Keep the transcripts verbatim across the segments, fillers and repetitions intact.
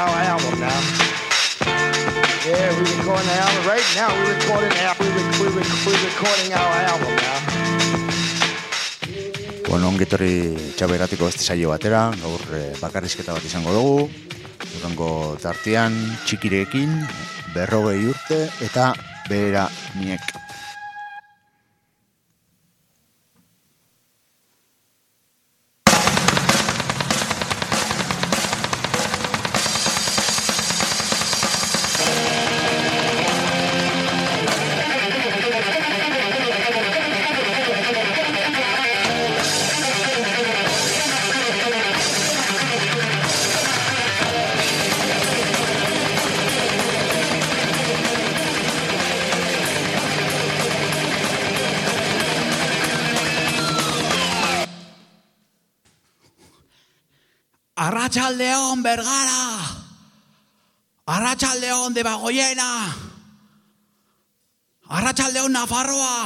our album now. Yeah, we're recording the album right now. We're recording, we're, we're, we're recording our album now. Bueno, ongetorri txaberatiko beste saio batera, gaur eh, bakarrizketa bat izango dugu. Urrengo tartean txikirekin, berrogei urte eta behera niek. Arratsaldeon Bergara, Arratsaldeon Debagoiena, Arratsaldeon Nafarroa.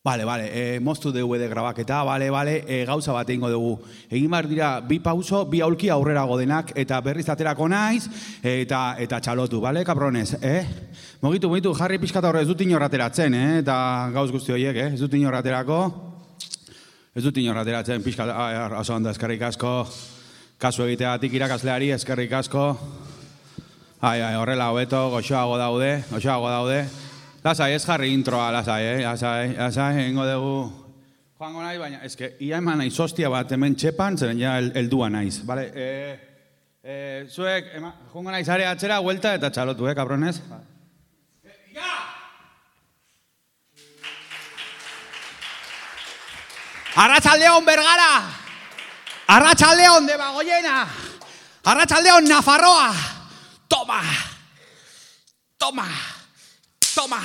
Vale, vale, eh, moztu dugu de grabaketa, vale, vale, eh, gauza bat egingo dugu. Egin behar dira bi pauso, bi aulki aurrera godenak, eta berriz aterako naiz, eta eta txalotu, vale, kabrones, eh? Mogitu, mogitu, jarri pixkat aurre, ez dut inor ateratzen, eh? Eta gauz guzti horiek, eh? Ez dut inor aterako. Ez dut inor ateratzen, pixka, oso ondo, eskerrik asko, kasu egiteatik irakasleari, eskerrik asko. Ai, ai, horrela hobeto, goxoago daude, goxoago daude. Lasai, ez jarri introa, lasai, eh? Lasai, lasai, egingo dugu. Joango nahi, baina, eske, ia eman naiz hostia bat hemen txepan, zeren ja heldua naiz, bale? Eh, eh, zuek, ema, joango naiz are atzera, huelta eta txalotu, eh, kabronez? Eh, ja! Arratsaldeon Bergara, Arratsaldeon Debagoiena, Arratsaldeon Nafarroa. Toma, toma, toma.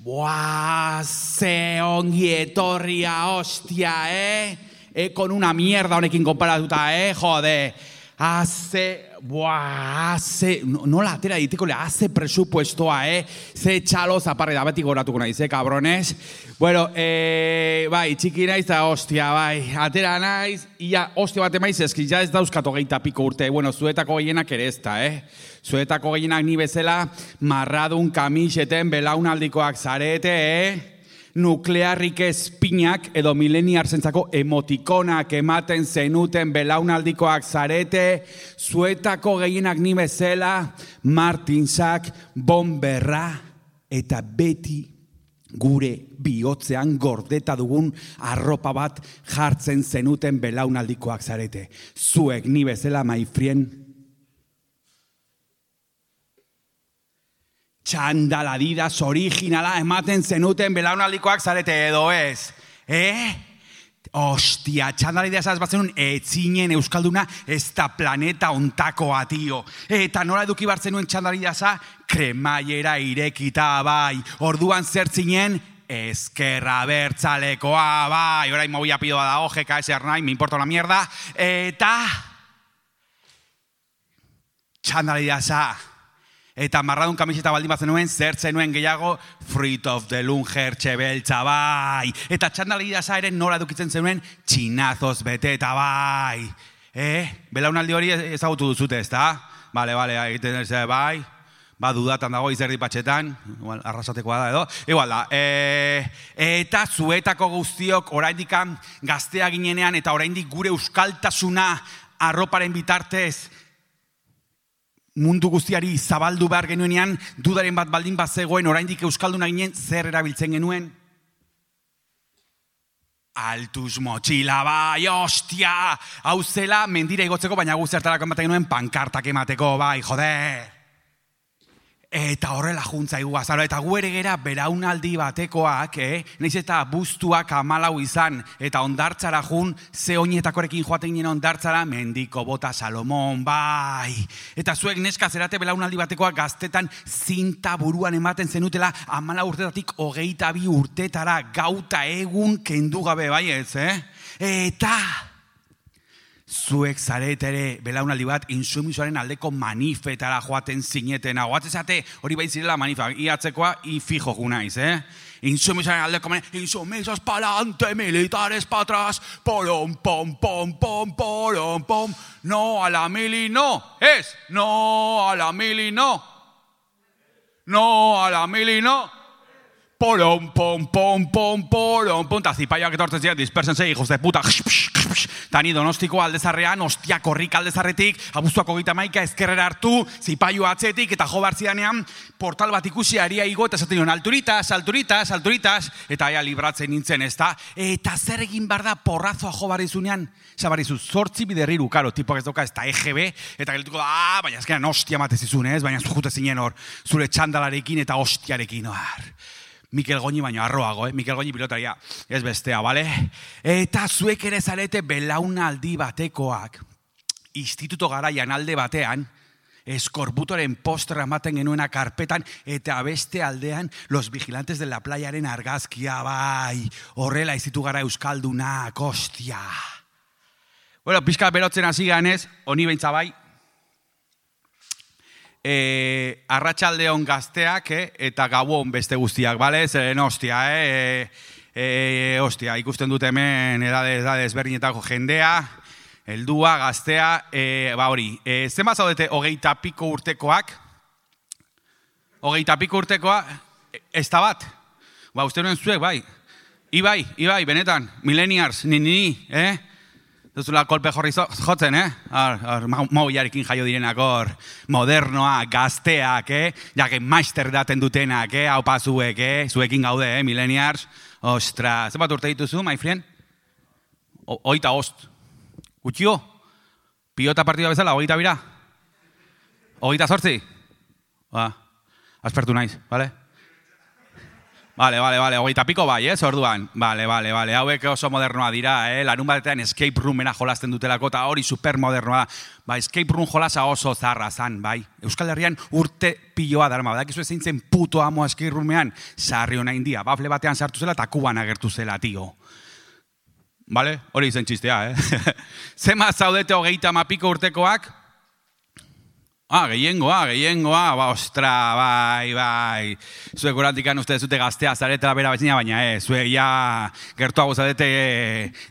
Buah, ze ongi etorria, hostia, eh? Eh, con una mierda honekin konparatuta, eh? Jode, hace... Buah, haze, nola atera diteko le, haze presupuestoa, eh? Ze txalo zaparre da, beti goratuko naiz, eh, cabrones? Bueno, eh, bai, txiki naiz da, hostia, bai, atera naiz, ia, hostia bat emaiz, eski, ja ez dauzkato geita piko urte, bueno, zuetako gehienak ere ez da, eh? Zuetako gehienak ni bezala, marradun kamiseten belaunaldikoak zarete, eh? Nuklearrik espinak edo mileniarzentzako emotikonak ematen zenuten belaunaldikoak zarete, zuetako gehienak ni bezala, Martinsak, Bomberra eta beti gure bihotzean gordeta dugun arropa bat jartzen zenuten belaunaldikoak zarete. Zuek ni bezala, my friend, txandala Adidas originala ematen zenuten belaunaldikoak zarete edo ez, eh? Ostia, txandala Adidas ez bat zenun etzinen euskalduna ez da planeta ontakoa, tio. Eta nola eduki bat zenuen txandala Adidasa, kremaiera irekita, bai. Orduan zertzinen, ezkerra bertzalekoa, bai. Orain movia pidoa da, G K S Ernai, me importa la mierda. Eta txandala Adidasa. Eta marradun kamiseta baldin bat zenuen, zer zenuen gehiago, Fruit of the Loom jertxe beltza, bai. Eta txandala Adidasa ere nola edukitzen zenuen, txinazoz beteta, bai. Eh? Belaunaldi hori ezagutu duzute, ez da? Bale, bale, egiten ez, bai. Ba, dudatan dago izerdi patxetan, igual, arrasatekoa da edo. Igual da, e, eta zuetako guztiok oraindikan gaztea ginenean eta oraindik gure euskaltasuna arroparen bitartez mundu guztiari zabaldu behar genuenean, dudaren bat baldin bat zegoen, oraindik euskalduna ginen zer erabiltzen genuen? Altuz motxila, bai, ostia! Hau zela, mendira igotzeko, baina guztiartarako ematen genuen pankartak emateko, bai, joder! Eta horrela juntza iguazaro, eta gu ere gera beraunaldi batekoak, eh? Naiz eta buztuak amalau izan, eta ondartzara jun, ze oinetakorekin joaten ginen ondartzara, mendiko bota Salomon, bai. Eta zuek neska zerate belaunaldi batekoak gaztetan zinta buruan ematen zenutela, amalau urtetatik hogeita bi urtetara, gauta egun kendu gabe, bai ez, eh? Eta zuek zaretere belaunaldi bat insumisoaren aldeko manifetara joaten zinetena. Oatzezate hori bai zirela manifa, iatzekoa ifijo junaiz, eh? Insumisoaren aldeko manifeta, insumisos pa'lante, militares pa' atrás, polom, pom, pom, pom, polom, pom, no a la mili, no, es, no a la mili, no, no a la mili, no. Polom, pom, pom, pom, polom, pom, eta zipaiak etortzen ziren, dispersense, hijos de puta, tani Donostiko aldezarrean, ostia korrik aldezarretik, abuztuako gita maika ezkerrera hartu, zipaio atzetik, eta jo bartzidanean, portal bat ikusi aria igo, eta esaten nion, alturitas, alturitas, alturitas, eta ea libratzen nintzen, ez da, eta zer egin bar da porrazoa jo barrizunean, zabarizu, zortzi biderriru, karo, tipoak ez doka, ez da E G B, eta gelituko da, ah, baina ezkeran ostia matezizun, ez, baina zujute zinen hor, zure txandalarekin eta ostiarekin, har. Mikel Goñi baino arroago, eh? Mikel Goñi pilotaria, ez bestea, bale? Eta zuek ere zarete belaunaldi batekoak, instituto garaian alde batean, eskorbutoren postra ematen genuena karpetan, eta beste aldean, los vigilantes de la playaren argazkia, bai, horrela izitu gara euskaldunak, ostia. Bueno, pixka berotzen hasi ganez, honi behintza bai, E, arratsaldeon gazteak eh, eta gauon beste guztiak, bale? Zeren ostia, eh? E, e, ostia, ikusten dut hemen edade, edade ezberdinetako jendea, heldua, gaztea, e, ba hori, e, zenbat zaudete hogeita piko urtekoak? Hogeita piko urtekoa, ez da bat? Ba, uste nuen zuek, bai? Ibai, Ibai, benetan, millennials, ni, ni, eh? Duzula kolpe jorri jotzen, eh? Mauiarekin jaio direnak hor, modernoa, gazteak, eh? Jake maister daten dutenak, eh? Haupa zuek, eh? Zuekin gaude, eh? Millennials. Ostra, zenbat urte dituzu, my friend? Oita ost. Gutxio? Pilota partida bezala, oita bira? Oita zortzi? Ba, aspertu naiz, bale? Vale, vale, vale, hogeita piko bai, ez, orduan. Vale, vale, vale, hauek oso modernoa dira, eh? Larun batean escape roomena jolasten dutelako, eta hori supermodernoa da. Ba, escape room jolasa oso zarra zan, bai. Euskal Herrian urte piloa darma, badakizu ezin zen puto amo escape roomean, sarri hona india, bafle batean sartu zela, eta kuban agertu zela, tio. Vale, hori izen txistea, eh? Zema zaudete hogeita mapiko urtekoak? Ah, gehiengoa, gehiengoa, ba, ostra, bai, bai. Zuek urantikan uste zute gaztea zaretela bera batzina, baina ez, zuek ja gertuago zaudete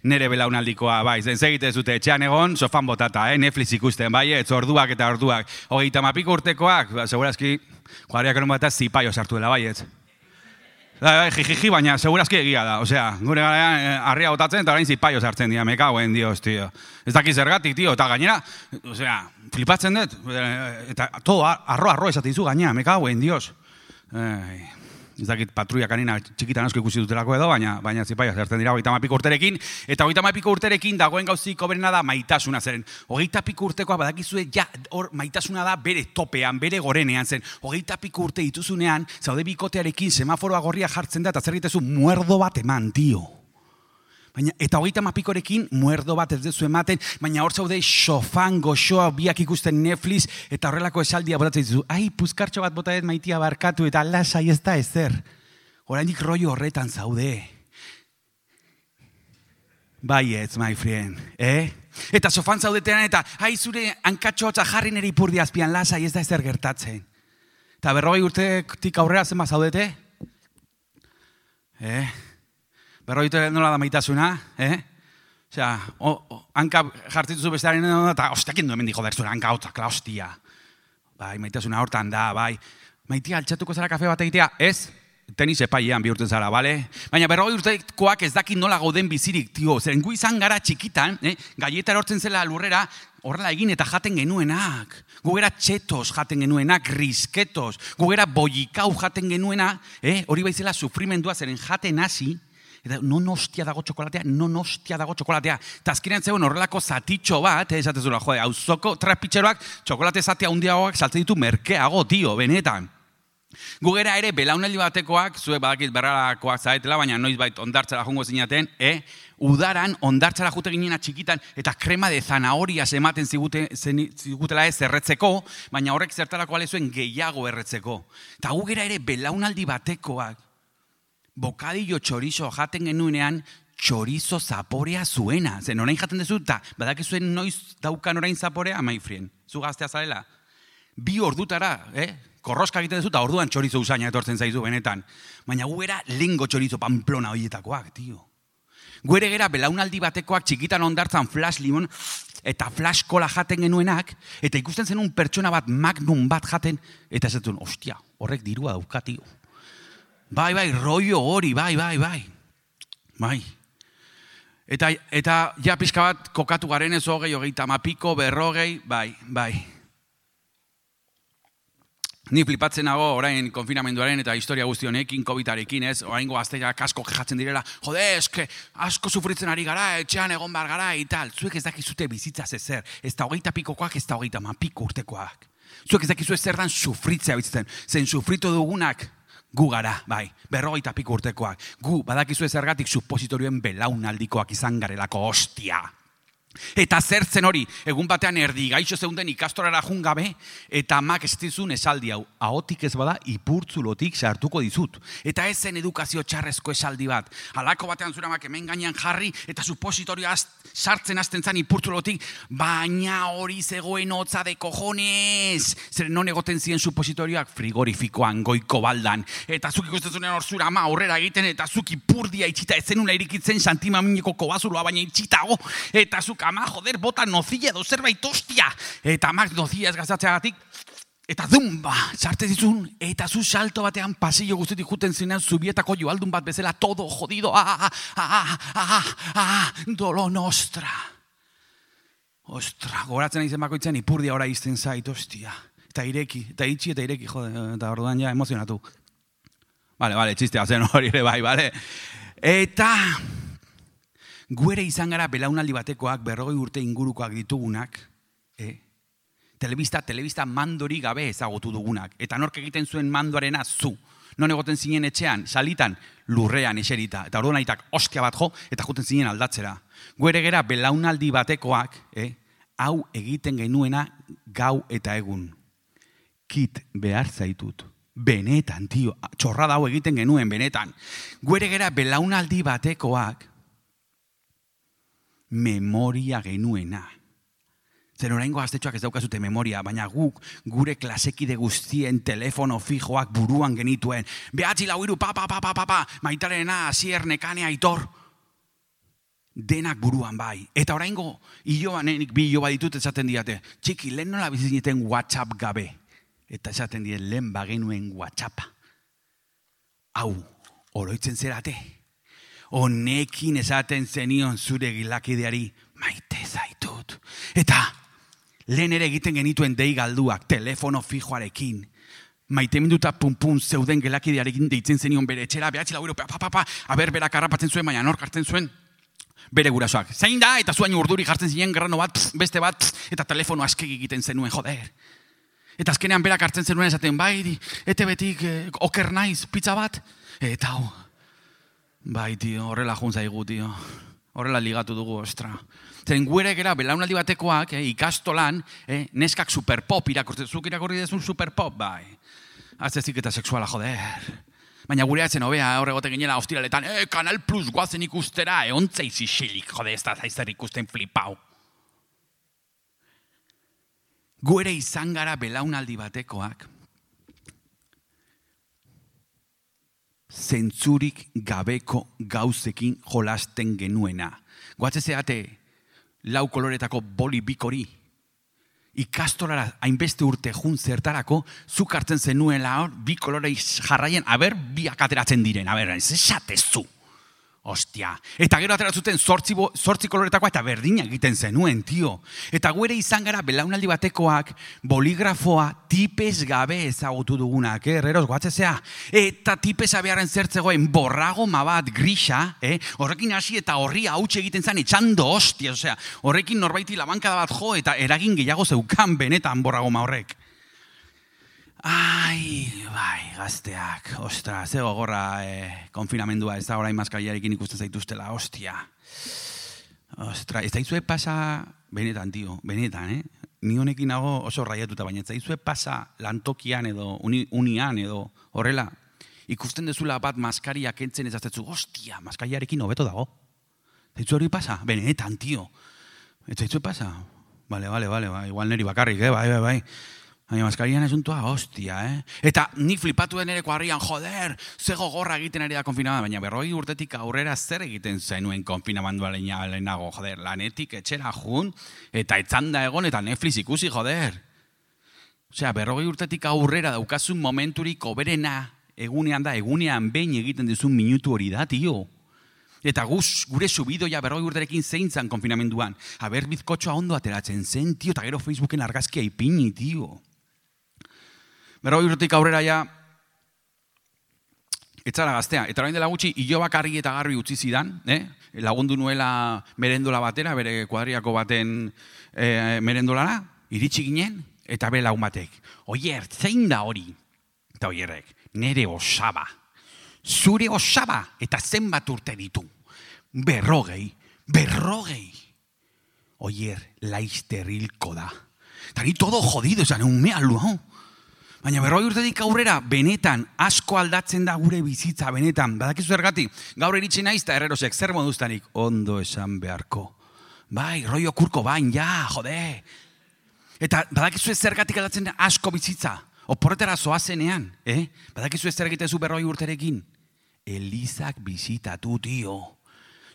nere belaunaldikoa, bai. Zen segite zute etxean egon, sofan botata, eh? Netflix ikusten, bai, ez, orduak eta orduak. Hogeita mapiko urtekoak, ba, segurazki, kuadriak eron bat zipaio sartu dela, bai, ez. Jijiji, baina segurazki egia da, osea, gure garaian harria botatzen eta orain zipaio sartzen dira, me cagoen dios, tio. Ez daki zergatik, tio, eta gainera, osea, flipatzen dut, eta todo arro, arro esaten dizu gainera, me cagoen dios. Eh, ez dakit patruia kanina txikitan asko ikusi dutelako edo, baina, baina zipaio sartzen dira hogeita mapiko urterekin, eta hogeita mapiko urterekin dagoen gauzik oberena da maitasuna zeren. Hogeita piko urtekoa badakizue, ja, hor maitasuna da bere topean, bere gorenean zen. Hogeita piko urte dituzunean, zaude bikotearekin semaforoa gorria jartzen da, eta zer egitezu muerdo bat eman, tio. Baina, eta hogeita mapikorekin muerdo bat ez dezu ematen, baina hor zaude sofan goxoa biak ikusten Netflix, eta horrelako esaldia botatzen dizu, ai, puzkartxo bat botadet maitia barkatu, eta lasai ez da ezer. Oraindik rollo horretan zaude. Baietz, my friend, eh? Eta sofan zaudetean, eta ai, zure hankatxotza jarri nere ipurdi azpian, lasai ez da ezer gertatzen. Eta berrogei urtetik aurrera zenba zaudete? Eh? Berroitu nola da maitasuna, eh? Osea, hanka jartzituzu bestearen eta ostiakin duen mendik joder, zure hanka hotzak, la hostia. Bai, maitasuna hortan da, bai. Maitia, altxatuko zara kafe bat egitea, ez? Tenis epailean bihurtzen zara, bale? Baina berrogei urtekoak ez dakit nola gauden bizirik, tio. Zeren gu izan gara txikitan, eh? Gaieta erortzen zela lurrera, horrela egin eta jaten genuenak. Gugera txetos jaten genuenak, risketos. Gugera boikau jaten genuena, eh? Hori baizela sufrimendua zeren jaten hasi, eta non hostia dago txokolatea, non hostia dago txokolatea. Eta azkenean zegoen horrelako zatitxo bat, eh, esatezuna, jode, auzoko trapitxeroak txokolate zatea hundiagoak saltzen ditu merkeago, tio, benetan. Gugera ere, belaunaldi batekoak, zuek badakit berrarakoak zaetela, baina noizbait ondartzara jongo zinaten, eh? Udaran ondartzara jute ginena txikitan, eta krema de zanahorias ematen zigute, zigutela ez erretzeko, baina horrek zertarako alezuen gehiago erretzeko. Eta gugera ere, belaunaldi batekoak, bokadillo txorizo jaten genuenean, txorizo zaporea zuena. Zen orain jaten dezu, eta badakizuen noiz daukan orain zaporea, maifrien. Zu gaztea zarela. Bi ordutara, eh? Korroska egiten dezu, eta orduan txorizo usaina etortzen zaizu benetan. Baina gu era lengo txorizo Pamplona horietakoak, tio. Gu ere gera belaunaldi batekoak txikitan ondartzan flash limon eta flash kola jaten genuenak, eta ikusten zenun pertsona bat magnum bat jaten, eta esatzen, ostia, horrek dirua dauka, tio. Bai, bai, rollo hori, bai, bai, bai. Bai. Eta, eta ja pixka bat kokatu garen ez hogei, hogeita mapiko, berrogei, bai, bai. Ni flipatzen nago orain konfinamenduaren eta historia guzti honekin, COVIDarekin, ez? Oraingo gazteak asko kejatzen direla, jode, eske, asko sufritzen ari gara, etxean egon bar gara, eta zuek ez dakizute bizitzaz ezer. Ez da hogeita pikokoak, ez da hogeita mapiko urtekoak. Zuek ez dakizu ezer dan sufritzea bizitzen. Zen sufritu dugunak, gu gara, bai, berrogeita piko urtekoak. Gu, badakizu ezergatik supositorioen belaunaldikoak izan garelako hostia. Eta zertzen hori, egun batean erdi gaixo zeunden ikastorara jun gabe, eta amak estizun esaldi hau, ahotik ez bada ipurtzulotik sartuko dizut. Eta ez zen edukazio txarrezko esaldi bat. Halako batean zura amak hemen gainean jarri, eta supositorioa sartzen hasten zan ipurtzulotik, baina hori zegoen hotza de cojones. Zer non egoten ziren supositorioak frigorifikoan, goiko baldan. Eta zuk ikusten zunen hor zura ama aurrera egiten, eta zuk ipurdia itxita ezenula irikitzen santimamineko kobazuloa baina itxitago, eta zuk ama, joder, bota nozilla edo zerbait ostia. Eta amak nozilla ez gazatzeagatik, eta dumba, sartez dizun, eta zu salto batean pasillo guztetik juten zinean zubietako joaldun bat bezala, todo jodido, ah, ah, ah, ah, ah, dolo nostra. Ostra, goratzen aizen bakoitzen ipurdia ora izten zait, ostia. Eta ireki, eta itxi eta ireki, jode, eta orduan ja emozionatu. Bale, bale, txistea zen hori ere bai, bale. Eta gu ere izan gara belaunaldi batekoak, berrogei urte ingurukoak ditugunak, eh? Telebista, telebista mandori gabe ezagutu dugunak. Eta nork egiten zuen mandoarena zu. Non egoten zinen etxean, salitan, lurrean eserita. Eta orduan aitak ostia bat jo, eta juten zinen aldatzera. Gu ere gara belaunaldi batekoak, eh? Hau egiten genuena gau eta egun. Kit behar zaitut. Benetan, tio, txorrada hau egiten genuen, benetan. Gu ere gara belaunaldi batekoak, memoria genuena. Zer oraingo gaztetxoak ez daukazute memoria, baina guk gure klasekide guztien telefono fijoak buruan genituen. Behatzi lau hiru, pa, pa, pa, pa, pa, pa, Maitarena, Asier, Nekane, Aitor. Denak buruan bai. Eta oraingo, ilobanenik bi iloba ditut esaten diate. Txiki, lehen nola bizitzen WhatsApp gabe. Eta esaten die lehen bagenuen WhatsAppa. Hau, oroitzen zerate. Honekin esaten zenion zure gilakideari maite zaitut. Eta lehen ere egiten genituen dei galduak, telefono fijoarekin. Maite minduta pum-pum zeuden gilakidearekin deitzen zenion bere etxera, behatzi lau hiru, pa, pa, pa, aber berak harrapatzen zuen, baina nork hartzen zuen bere gurasoak. Zein da, eta zuain urduri jartzen zinen grano bat, pss, beste bat, pss, eta telefono askegi egiten zenuen, joder. Eta azkenean berak hartzen zenuen esaten, bai, ete betik, eh, oker naiz, pizza bat, eta hau. Bai, tio, horrela juntzaigu, tio. Horrela ligatu dugu, ostra. Zeren guere gera, belaunaldi batekoak, eh, ikastolan, eh, neskak superpop irakortzen. Zuk irakorri dezun superpop, bai. Aztezik eta sexuala, joder. Baina gure atzen hobea, horregote ginela ostiraletan, eh, Kanal Plus guazen ikustera, eh, ontzei zisilik, jode, ez da zaizer ikusten flipau. Guere izan gara belaunaldi batekoak, zentzurik gabeko gauzekin jolasten genuena. Goatze zeate lau koloretako boli bikori. Ikastolara hainbeste urte jun zertarako, zuk hartzen zenuela hor, bi kolorei jarraien, aber, biak ateratzen diren, aber, ez esatezu. Ostia. Eta gero ateratzuten zortzi, zortzi koloretakoa eta berdina egiten zenuen, tio. Eta guere izan gara belaunaldi batekoak boligrafoa tipez gabe ezagutu dugunak, eh? Herreros, goatzezea. Eta tipeza beharren zertzegoen borragoma bat grisa, eh? Horrekin hasi eta horri hautsi egiten zen etxando ostia. Osea, horrekin norbaiti labankada bat jo eta eragin gehiago zeukan benetan borragoma horrek. Ai, bai, gazteak, ostra, ze gogorra eh, konfinamendua, ez da orain maskariarekin ikusten zaituztela, ostia. Ostra, ez daizue pasa, benetan, tio, benetan, eh? Ni honekin nago oso raiatuta, baina ez daizue pasa lantokian edo uni, unian edo horrela, ikusten dezula bat maskaria kentzen ez aztetzu, ostia, maskariarekin hobeto dago. Zaitzu hori pasa? Benetan, tio. Eta zaitzu pasa? Bale, bale, bale, ba, igual neri bakarrik, eh? bai, bai, bai. Baina maskarian esuntua, hostia, eh? Eta ni flipatu den ere kuadrian, joder, ze gogorra egiten ari da konfinamendua, baina berrogei urtetik aurrera zer egiten zenuen konfinamendua lehenago, joder, lanetik etxera jun, eta etzanda egon, eta Netflix ikusi, joder. Osea, berrogei urtetik aurrera daukazun momenturik oberena egunean da, egunean behin egiten dizun minutu hori da, tio. Eta guz, gure subidoia berrogei urterekin zein zan konfinamenduan. Aber bizkotxoa ondo ateratzen zen, tio, eta gero Facebooken argazkia ipini, tio. Berrogei urtetik aurrera ja, etzara gaztea. Eta orain dela gutxi, ilobak argi eta garbi utzi zidan, eh? Lagundu nuela merendola batera, bere kuadriako baten eh, merendolara, iritsi ginen, eta bere lagun batek. Oier, zein da hori? Eta oierrek, nere osaba. Zure osaba, eta zenbat urte ditu. Berrogei, berrogei. Oier, laizter hilko da. Eta ni todo jodido, esan, un mea luau. Baina berrogei urtetik aurrera, benetan, asko aldatzen da gure bizitza, benetan. Badakizu zergatik, gaur iritsi naiz, eta errerosek, zer moduztanik? Ondo esan beharko. Bai, rollo kurko bain, ja, jode. Eta badakizu zergatik aldatzen da asko bizitza. Oporretara zoazenean, eh? Badakizu zer egitezu berrogei urterekin. Elizak bizitatu, tio.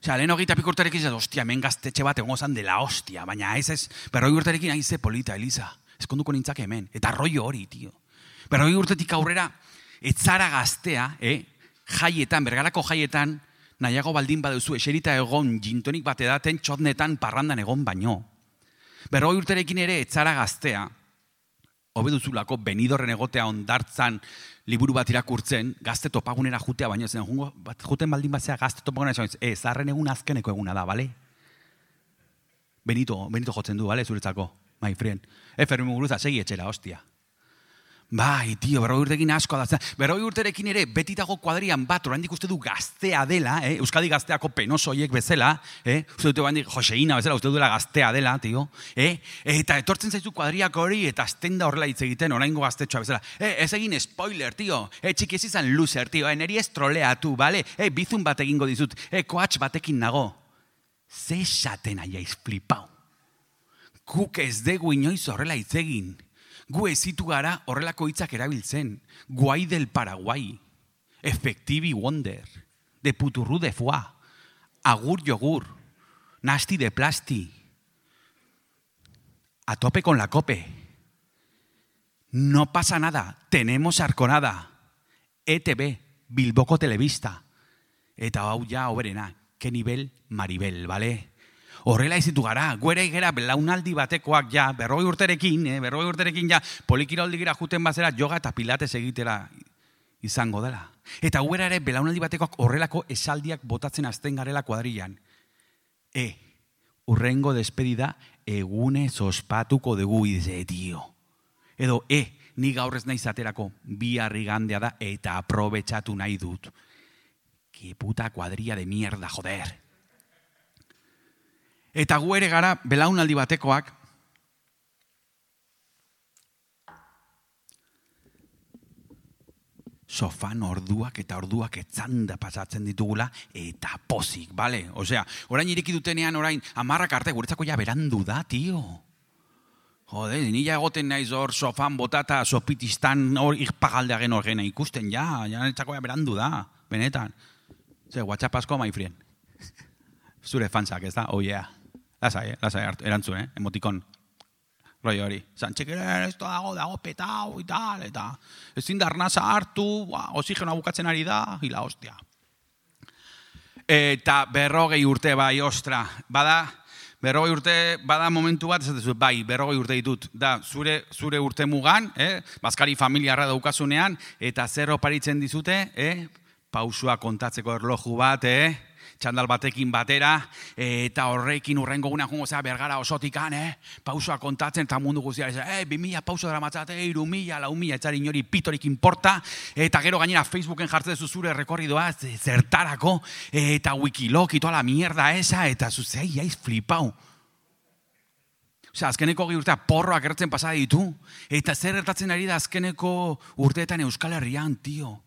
Osea, lehen hogeita pik urterekin, zaz, ostia, hemen gaztetxe bat egon zan dela hostia, baina ez ez, berrogei urterekin aize polita, Eliza. Ezkonduko nintzak hemen, eta rollo hori, tio. Berrogei urtetik aurrera, etzara gaztea, eh? Jaietan, bergarako jaietan, nahiago baldin baduzu, eserita egon, jintonik bat edaten, txotnetan, parrandan egon baino. Berrogei urterekin ere, etzara gaztea, hobeduzulako Benidorren egotea ondartzan liburu bat irakurtzen, gazte topagunera jutea, baina zen, juten baldin batzea gazte topagunera, ez, zarren egun azkeneko eguna da, bale? Benito, Benito jotzen du, bale, zuretzako, my friend. Efermi muguruza, segi etxera, hostia. Bai, tio, berrogei urterekin asko da. Berrogei urterekin ere, beti dago kuadrian bat, oraindik uste du gaztea dela, eh? Euskadi gazteako penosoiek bezala, eh? Uste dute oraindik Joseina bezala, uste duela gaztea dela, tio. Eh? Eta etortzen zaizu kuadriak hori, eta azten da horrela hitz egiten, oraingo gaztetxoa bezala. Eh, ez egin spoiler, tio. Eh, txiki ez izan loser, tio. Eh, neri ez troleatu, bale? Eh, bizun bat egingo dizut. Eh, koatx batekin nago. Ze esaten aiaiz flipau. Guk ez dugu inoiz horrela hitz egin. Gu ezitu gara horrelako hitzak erabiltzen. Guai del Paraguai. Efectivi wonder. De puturru de foie. Agur yogur. Nasti de plasti. A tope con la cope. No pasa nada. Tenemos arconada. E T V. Bilboko Telebista. Eta hau ja oberena. Ke nivel Maribel, bale? Horrela izitu gara, guere gera belaunaldi batekoak ja, berrogei urterekin, eh, berrogei urterekin ja, polikiroldi gira juten bazera, yoga eta pilates egitera izango dela. Eta guera ere belaunaldi batekoak horrelako esaldiak botatzen azten garela kuadrilan. E, urrengo despedida egunez ospatuko dugu ize, tio. Edo, e, ni gaur ez naiz aterako, bihar igandea da eta aprobetxatu nahi dut. Que puta kuadria de mierda, joder. Eta gu ere gara belaunaldi batekoak sofan orduak eta orduak etzanda pasatzen ditugula eta pozik, bale? Osea, orain ireki dutenean orain amarrak arte guretzako ja berandu da, tio. Jode, nila egoten naiz hor sofan botata sopitistan hor ikpagaldeagen horgena ikusten, ja, ja netzako ja berandu da, benetan. Ze, WhatsApp asko, my friend. Zure fansak, ez da? Oh yeah. Lasai, eh? Lasai hartu, erantzun, eh? Emotikon. Roi hori. Zantxekeren, ez dago, dago petau, eta, eta. Ezin da arnaza hartu, ba, oxigenoa bukatzen ari da, hila hostia. Eta berrogei urte bai, ostra. Bada, berrogei urte, bada momentu bat, ez dut, bai, berrogei urte ditut. Da, zure, zure urte mugan, eh? Bazkari familiarra daukazunean, eta zer oparitzen dizute, eh? Pausua kontatzeko erloju bat, eh? Txandal batekin batera, eta horrekin urrengo gunean jungo zera bergara osotikan, eh? Pausua kontatzen, eta mundu guztiara, eh, bi mila pauso dara matzate, iru mila, lau mila, etzari inori pitorik inporta, eta gero gainera Facebooken jartzen zu zure rekorridoa, zertarako, eta Wikiloc, itoa la mierda esa, eta zuzei, jaiz flipau. Osea, azkeneko gi urtea porroak erretzen pasada ditu, eta zer ertatzen ari da azkeneko urteetan Euskal Herrian, tio.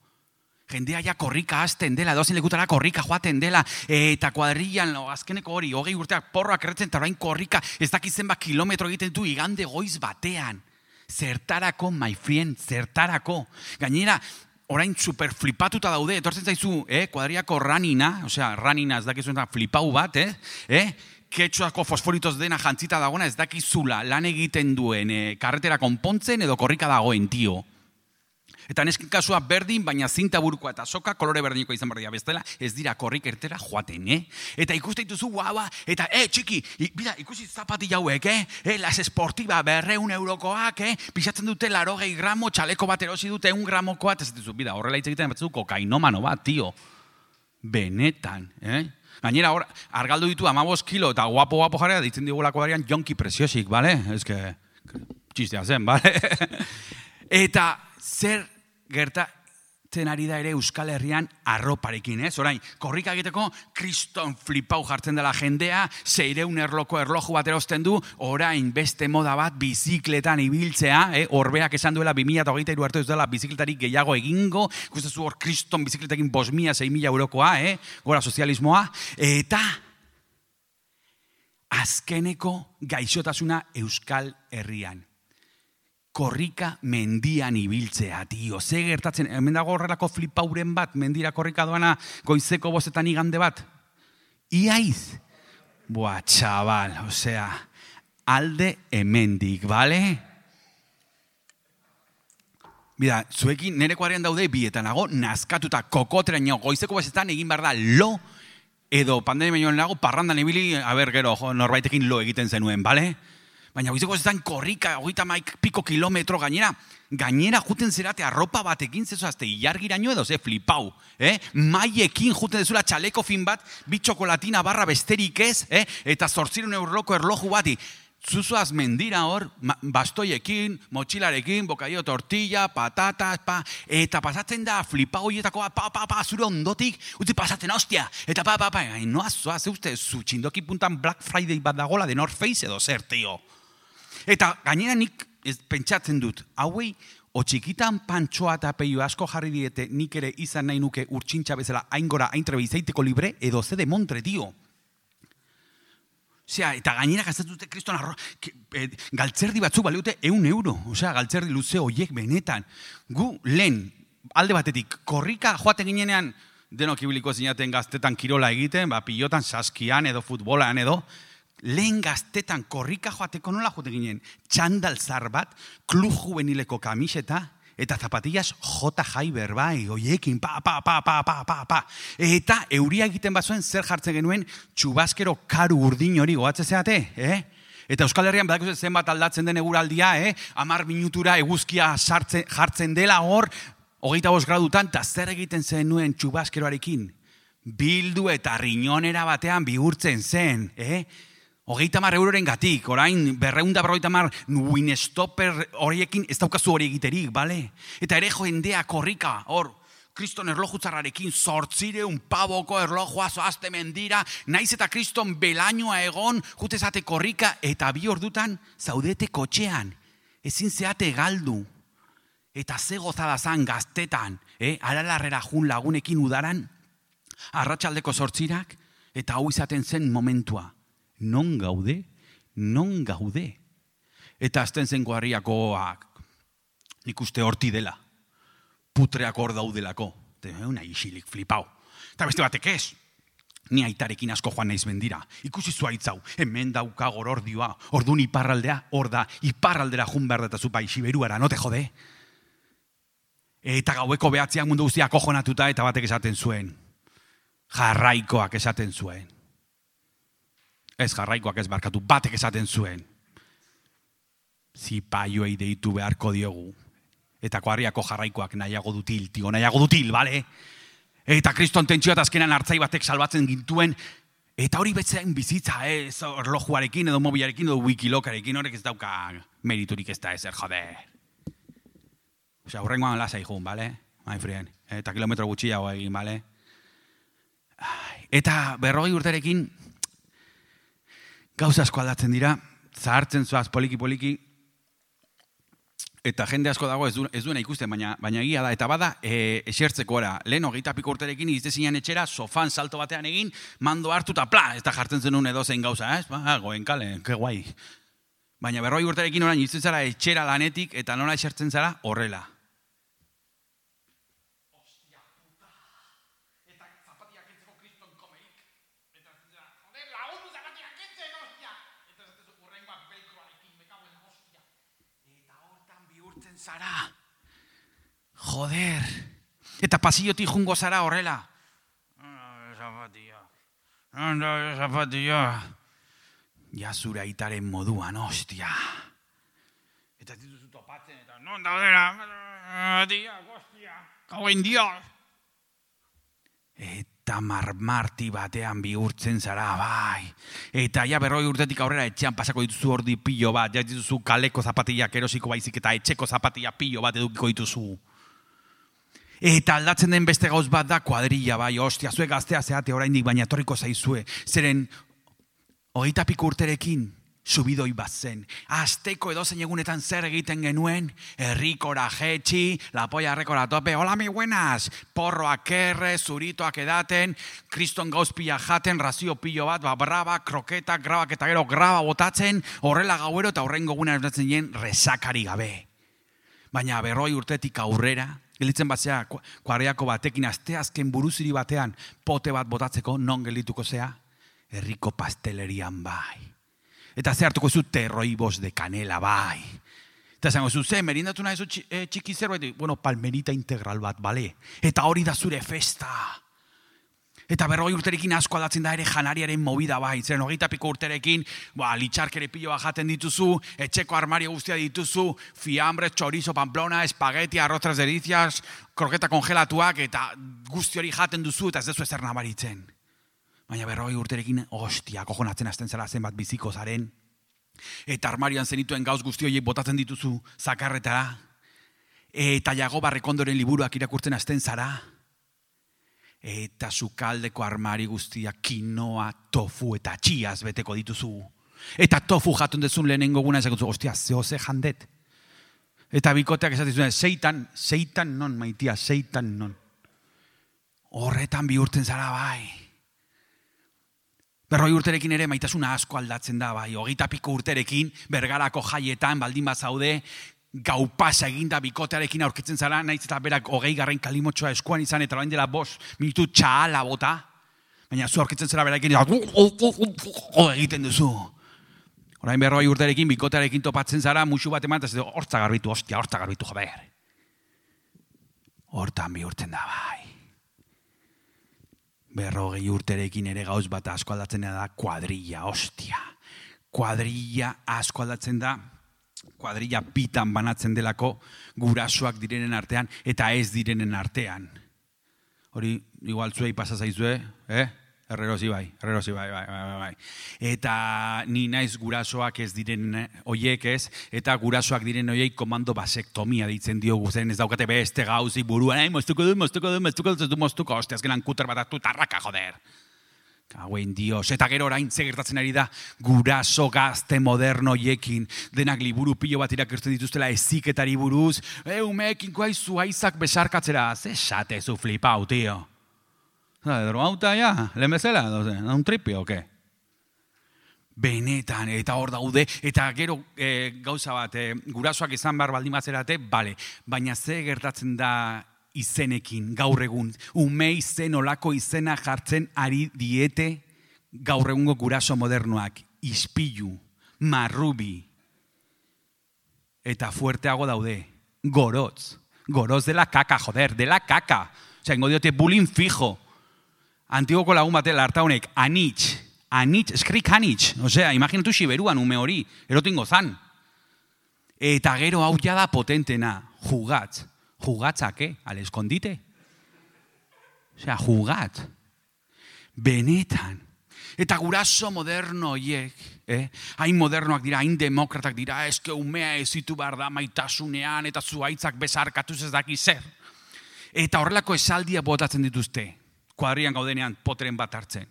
Jendea ja korrika hasten dela, dozen lekutara korrika joaten dela, eta kuadrillan, azkeneko hori, hogei urteak porroak erretzen, eta orain korrika, ez dakizen ba kilometro egiten du igande goiz batean. Zertarako, my friend, zertarako. Gainera, orain super flipatuta daude, etortzen zaizu, eh, kuadriako ranina, osea, ranina ez dakizu flipau bat, eh, eh, ketxuako fosforitos dena jantzita dagoena ez dakizula lan egiten duen eh, karretera konpontzen edo korrika dagoen, tio. Eta nesken kasua berdin, baina zinta burukoa eta soka kolore berdiniko izan berdia bestela, ez dira korrik ertera joaten, eh? Eta ikuste dituzu guaba, eta, eh, txiki, bida, ikusi zapati jauek, eh? eh? Las esportiba berreun eurokoak, eh? Pisatzen dute larogei gramo, txaleko bat erosi dute un gramokoa, eta ez dituzu, bida, horrela hitz egiten batzu kokainomano bat, tio. Benetan, eh? Gainera, hor, argaldu ditu amabos kilo, eta guapo-guapo jarea, ditzen digulako darian jonki presiosik, bale? Ez que, txistea zen, bale? Eta, zer gertatzen ari da ere Euskal Herrian arroparekin, ez? Orain, korrika egiteko kriston flipau jartzen dela jendea, seireun erloko erloju bat erosten du, orain beste moda bat bizikletan ibiltzea, eh? Orbeak esan duela bi mila hogeita hiru arte ez dela bizikletarik gehiago egingo, ikustezu hor kriston bizikletekin bost mila, sei mila eurokoa, eh? Gora sozialismoa, eta azkeneko gaixotasuna Euskal Herrian. Korrika mendian ibiltzea, tio. Ze gertatzen, hemen dago horrelako flipauren bat, mendira korrika doana goizeko bostetan igande bat. Iaiz. Boa, txabal, osea, alde hemendik, bale? Bida, zuekin nire kuadrian daude bietan nago, nazkatuta kokoteraino goizeko bostetan egin behar da lo, edo pandemia nago parrandan ibili, a ber, gero, norbaitekin lo egiten zenuen, bale? Baina goizeko zetan korrika, hogeita maik piko kilometro gainera, gainera juten zerate arropa batekin, zezo azte ilargiraino edo, ze flipau, eh? Maiekin juten dezula txaleko fin bat, bitxokolatina barra besterik ez, eh? Eta zortzireun eurroko erloju bati, zuzuaz mendira hor, bastoiekin, motxilarekin, bokaio tortilla, patatas, pa, eta pasatzen da flipau hoietakoa, pa, pa, pa, zure ondotik, utzi pasatzen, hostia, eta pa, pa, pa, noa, zoa, ze uste, zu txindoki puntan Black Friday bat dagola de North Face edo zer, tio. Eta gainera nik ez, pentsatzen dut, hauei, o txikitan pantxoa eta peio asko jarri diete, nik ere izan nahi nuke urtsintxa bezala aingora aintrebe izaiteko libre, edo ze de montre, tio. Osea, eta gainera gastatzen dute kriston arro, e, galtzerdi batzuk baliute eun euro. Osea, galtzerdi luze hoiek benetan. Gu lehen, alde batetik, korrika joaten ginenean, denok ibiliko zinaten gaztetan kirola egiten, ba, pilotan, saskian edo futbolan edo, lehen gaztetan korrika joateko nola joaten ginen, txandal zar bat, klub juvenileko kamiseta, eta zapatillas J. Jaiber, bai, oiekin, pa, pa, pa, pa, pa, pa, pa. Eta euria egiten bazuen zer jartzen genuen txubaskero karu urdin hori goatze zeate, eh? Eta Euskal Herrian badakuz zenbat aldatzen den eguraldia, eh? Amar minutura eguzkia sartzen, jartzen dela hor, hogeita bost gradutan, eta zer egiten zenuen txubaskeroarekin? Bildu eta riñonera batean bihurtzen zen, eh? Hogeita mar euroren gatik, orain berreunda berrogeita mar winstopper horiekin ez daukazu hori egiterik, bale? Eta ere jendea korrika, hor, kriston erlojutzarrarekin zortzireun paboko erlojua zoazte mendira, naiz eta kriston belainoa egon, jutezate korrika, eta bi ordutan zaudete kotxean, ezin zeate galdu. Eta ze gozada zan gaztetan, eh? Aralarrera jun lagunekin udaran, arratsaldeko zortzirak, eta hau izaten zen momentua. Non gaude, non gaude. Eta azten zen kuadriakoak, nik uste horti dela, putreak hor daudelako. Una isilik flipau. Eta beste batek ez, ni aitarekin asko joan naiz mendira. Ikusi zuaitzau, hemen dauka gorordioa, ordun iparraldea, hor da, iparraldera jun behar deta zupa isiberuara, no te jode? Eta gaueko behatzean mundu guztiak kojonatuta eta batek esaten zuen. Jarraikoak esaten zuen. Ez jarraikoak ez barkatu, batek esaten zuen. Zipaioei deitu beharko diogu. Eta kuadriako jarraikoak nahiago dutil, tio, nahiago dutil, bale? Eta kriston tentsioa eta azkenan hartzai batek salbatzen gintuen. Eta hori betzean bizitza, ez eh? Erlojuarekin edo mobilarekin edo wikilokarekin, horrek ez dauka meriturik ez da ezer, jode. Osea, hurrengoan lasai jun, bale? My friend. Eta kilometro gutxiago egin, bale? Eta berrogei urterekin, gauza asko aldatzen dira, zahartzen zoaz poliki-poliki, Eta jende asko dago ez, du, ez duena ikusten, baina, baina egia da. Eta bada, e, esertzeko era. Lehen hogeita piko urterekin izte zinean etxera, sofan salto batean egin, mando hartu eta pla, ez da jartzen zenun edozein gauza, ez? Ba, goen kale, ke guai. Baina berroi urterekin orain izten zara etxera lanetik, eta nola esertzen zara horrela. Ostia puta. Eta zapatia kentzeko kriston komeik. Eta zara, joder, lagundu zapatia kentzen, ostia. Eta zatezu urrengoak belkroarekin, mekauen ostia. Eta hortan bihurtzen zara. Joder. Eta pasillotik jungo zara horrela. Zapatia. Zapatia. Ja zure aitaren moduan, ostia. Eta dituzu topatzen, eta non daudera. Zapatia, ostia. Kauen dios. Eta marmarti batean bihurtzen zara, bai. Eta ja berroi urtetik aurrera etxean pasako dituzu ordi pilo bat, ja dituzu kaleko zapatillak erosiko baizik eta etxeko zapatilla pilo bat edukiko dituzu. Eta aldatzen den beste gauz bat da kuadrilla, bai, ostia, zuek gaztea zeate oraindik baina etorriko zaizue. Zeren, hogeita piko urterekin, subidoi bat zen. Azteko edozein egunetan zer egiten genuen, herrikora jetxi, la polla errekora tope, hola mi buenas, porroak erre, zuritoak edaten, kriston gauz pila jaten, razio pilo bat, ba, braba, kroketak, grabak eta gero graba botatzen, horrela gauero eta horrengo guna erdatzen jen resakari gabe. Baina berroi urtetik aurrera, gelitzen batzea kuadriako batekin, asteazken buruziri batean, pote bat botatzeko, non gelituko zea, herriko pastelerian bai. Eta ze hartuko zu terroibos de canela bai. Eta zango zu, ze, merindatu nahi zu txiki zerbait? Bueno, palmerita integral bat, bale? Eta hori da zure festa. Eta berroi urterekin asko aldatzen da ere janariaren movida bai. Zeren hogeita piko urterekin, ba, litxarkere piloa jaten dituzu, etxeko armario guztia dituzu, fiambre, chorizo, pamplona, espageti, arroztras delicias, kroketa kongelatuak, eta guzti hori jaten duzu, eta ez dezu ezer nabaritzen. Baina berroi urterekin, ostia, kojonatzen hasten zara zenbat biziko zaren. Eta armarioan zenituen gauz guzti horiek botatzen dituzu zakarretara. Eta jago barrekondoren liburuak irakurtzen hasten zara. Eta sukaldeko armari guztiak kinoa, tofu eta txiaz beteko dituzu. Eta tofu jatun dezun lehenengo guna esakutzu, ostia, zehoze jandet. Eta bikoteak esatizuen, seitan, seitan non, maitia, seitan non. Horretan bihurtzen zara bai. Berroi urterekin ere maitasuna asko aldatzen da, bai. Hogeita piko urterekin, bergarako jaietan, baldin bazaude, gau pasa eginda bikotearekin aurkitzen zara, naiz eta berak hogei garren kalimotxoa eskuan izan, eta orain dela bost minutu txahala bota. Baina zu aurkitzen zara berakin, egiten duzu. Orain berroi urterekin, bikotearekin topatzen zara, musu bat eman, eta hortza garbitu, ostia, hortza garbitu, joder. Hortan bihurtzen da, bai. Berrogei urterekin ere gauz bat asko aldatzen da kuadrilla, ostia. Kuadrilla asko aldatzen da, kuadrilla bitan banatzen delako gurasoak direnen artean eta ez direnen artean. Hori, igual zuei pasa zaizue, eh? Herrerosi bai, herrerosi bai, bai, bai, bai. Eta ni naiz gurasoak ez diren oiek ez, eta gurasoak diren oiek komando basektomia ditzen diogu, zen ez daukate beste gauzi buruan, ei, moztuko du, moztuko du, moztuko du, moztuko, ostia, azkenan kuter bat hartu tarraka, joder. Kauen dios, eta gero orain ze gertatzen ari da guraso gazte moderno oiekin, denak liburu pilo bat irakurtzen dituztela eziketari buruz, e, umeekin koai zuaizak besarkatzera, ze esate zu flipau, tio. Drogauta, ja, lehen bezala, un tripio, oke? Benetan, eta hor daude, eta gero e, gauza bat, e, gurasoak izan behar baldin bazerate, bale, baina ze gertatzen da izenekin, gaur egun, ume izen olako izena jartzen ari diete gaur egungo guraso modernoak, ispilu, marrubi, eta fuerteago daude, gorotz, gorotz de la kaka, joder, de la kaka, osea, ingo diote bullying fijo, Antigoko lagun batela harta honek, anitz, anitz, eskrik anitz, osea, imaginatu Siberuan ume hori, erotingo zan. Eta gero hau ja da potentena, jugatz, jugatzak, eh, al escondite. Osea, jugatz, benetan. Eta guraso moderno hiek, eh, hain modernoak dira, hain demokratak dira, eske umea ezitu behar da maitasunean, eta zuaitzak besarkatuz ez daki zer. Eta horrelako esaldia botatzen dituzte. Kuadrian gaudenean poteren bat hartzen.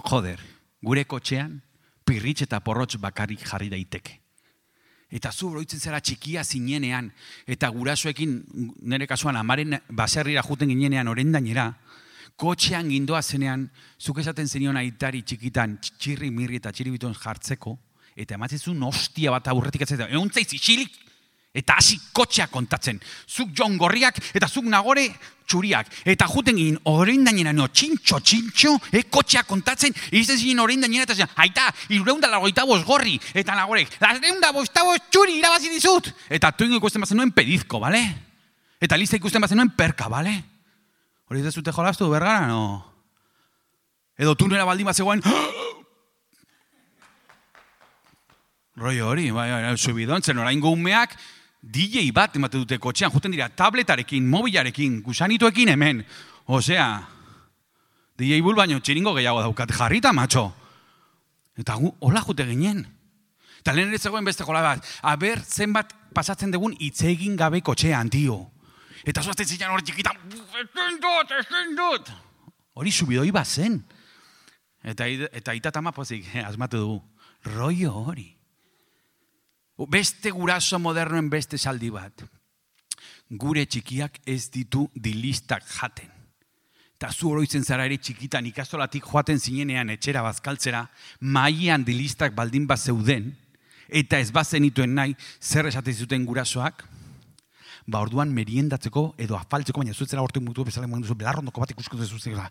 Joder, gure kotxean pirritx eta porrotx bakarrik jarri daiteke. Eta zu oroitzen zara txikia zinenean, eta gurasoekin, nire kasuan, amaren baserrira juten ginenean orendainera, kotxean gindoa zenean, zuk esaten zenion aitari txikitan, txirri mirri eta txiribituen jartzeko, eta ematzezun hostia bat aurretik atzeta, egun zaiz isilik, eta hasi kotxea kontatzen. Zuk Jon Gorriak eta zuk Nagore txuriak. Eta juten ginen orendainera, no, txintxo, txintxo, eh, kotxea kontatzen, iristen zinen orendainera eta zen, aita, irureunda lagoita bost gorri. Eta Nagorek, lareunda bosta bost txuri irabazi dizut. Eta tuingo ikusten bazen nuen pedizko, bale? Eta Liza ikusten bazen nuen perka, bale? Hori ez zute jolastu, bergara, no? Edo tunera baldin bat zegoen, roi hori, bai, bai, subidontzen, orain umeak, D J bat emate dute kotxean, juten dira tabletarekin, mobilarekin, gusanituekin hemen. Osea, D J bul baino txiringo gehiago daukat, jarrita, matxo. Eta gu, hola jute ginen. Eta lehen ere zegoen beste jola bat, aber zenbat pasatzen dugun itzegin gabe kotxean, tio. Eta zuazten zilean hori txikitan, ezin dut, ezin dut. Hori subidoi bat zen. Eta, eta itatama pozik, eh, asmatu dugu. Rollo hori. Beste guraso modernoen beste saldi bat. Gure txikiak ez ditu dilistak jaten. Eta zu oroitzen zara ere txikitan ikastolatik joaten zinenean etxera bazkaltzera, mailan dilistak baldin bat zeuden, eta ez bazenituen nahi zer esaten zuten gurasoak, ba orduan meriendatzeko edo afaltzeko, baina zuetzera hortu mutu bezala moen duzu, belarrondoko bat ikusko zuzela.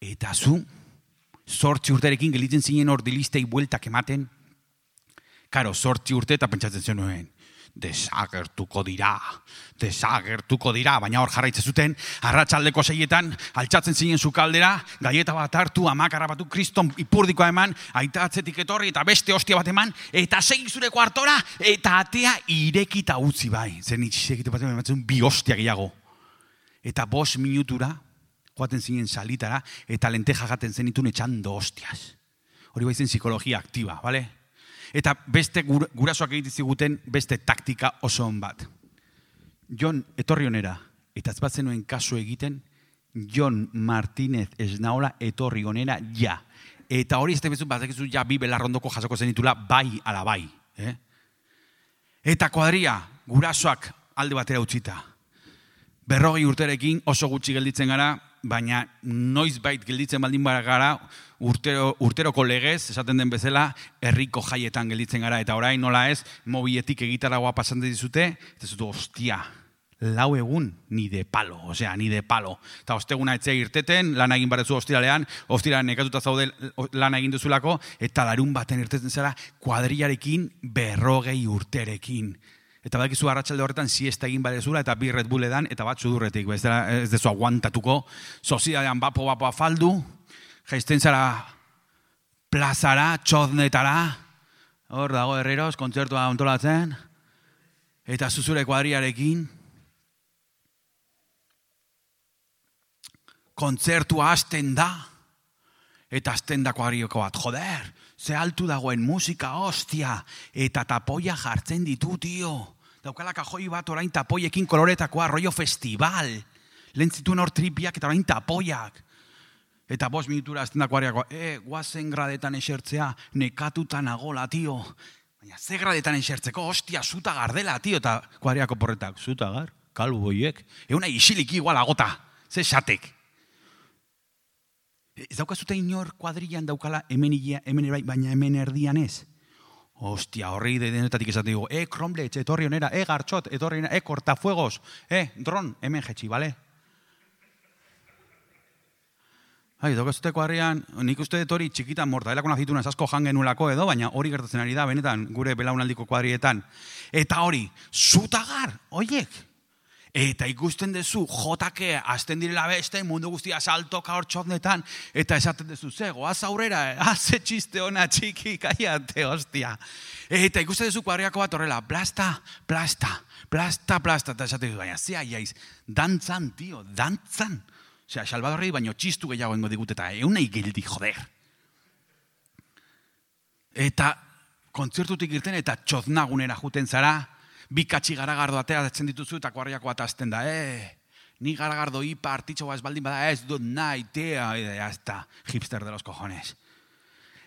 Eta zu, zortzi urterekin gelitzen zinen hor dilistei bueltak ematen, karo, zortzi urte eta pentsatzen zenuen, desagertuko dira, desagertuko dira, baina hor jarraitzen zuten, arratsaldeko seietan, altxatzen zinen sukaldera, gaieta bat hartu, amakarra batu, kriston ipurdikoa eman, aita atzetik etorri, eta beste hostia bat eman, eta segi zure kuartora, eta atea irekita utzi bai. Zer nitxizekite bat ematzen bi hostia gehiago. Eta bost minutura, joaten zinen salitara, eta lenteja jaten zenitun etxando hostias. Hori baizen psikologia aktiba, bale? Eta beste gurasoak egiten ziguten beste taktika oso on bat. Jon etorri onera, eta ez bat zenuen kasu egiten, Jon Martínez Esnaola etorri onera ja. Eta hori ez da bezut bat egizu ja bi belarrondoko jasoko zenitula bai ala bai. Eh? Eta kuadria gurasoak alde batera utzita. Berrogei urterekin oso gutxi gelditzen gara, baina noizbait gelditzen baldin gara urtero, urteroko legez, esaten den bezala, herriko jaietan gelditzen gara. Eta orain nola ez, mobiletik egitaragoa pasan dizute, eta zutu, ostia, lau egun ni de palo, osea, ni de palo. Eta osteguna etzea irteten, lan egin barezu ostiralean, ostiralean nekatuta zaude lan egin duzulako, eta larun baten irteten zara, kuadriarekin berrogei urterekin. Eta badakizu arratsalde horretan siesta egin badezula eta bi Red Bull edan eta bat sudurretik, ez dezu aguantatuko, sozidadean bapo bapo afaldu, jaizten zara plazara, txoznetara, hor dago herreros, kontzertua ontolatzen, eta zuzure kuadriarekin, kontzertua hasten da, eta hasten da kuadrioko bat, joder, ze altu dagoen musika, hostia, eta tapoia jartzen ditu, tio. Daukala kajoi bat orain tapoiekin koloretakoa, rollo festival. Lehen zituen hor tripiak eta orain tapoiak. Eta bost minutura azten da kuadriako, e, guazen gradetan esertzea, nekatutan agola, tio. Baina ze gradetan esertzeko, hostia, zuta gardela, tio. Eta kuadriako porretak, zuta gar, kalbu boiek. Euna isilik igual agota, ze xatek. Ez daukazute inor kuadrilan daukala hemen ia, hemen erai, baina hemen erdian ez. Ostia, horrei denetatik esaten digo, e, Kromlech, etorri onera, e, Gartxot, etorri onera, e, Cortafuegos, e, Dron, hemen jetxi, bale? Hai, daukazute kuadrian, nik uste dut hori txikitan mortadelako nazituna asko jangenulako edo, baina hori gertatzen ari da, benetan, gure belaunaldiko kuadrietan. Eta hori, zutagar, oiek. Eta ikusten dezu, jotake, azten direla beste, mundu guztia saltoka hor txotnetan, eta esaten dezu, ze, goaz aurrera, haze txiste ona txiki, kaiate, hostia. Eta ikusten dezu kuadriako bat horrela, plasta, plasta, plasta, plasta, eta esaten dezu, baina, zea, jaiz, dantzan, tio, dantzan. Osea, Salvadorri baino txistu gehiago engo digut, eta eunei gildi, joder. Eta kontzertutik irten, eta txoznagunera juten zara, bi katxi garagardo ateratzen dituzu eta kuadriako bat azten da, eh, ni garagardo ipa artitxoa ez baldin bada, ez dut nahi, tea, ya está, hipster de los cojones.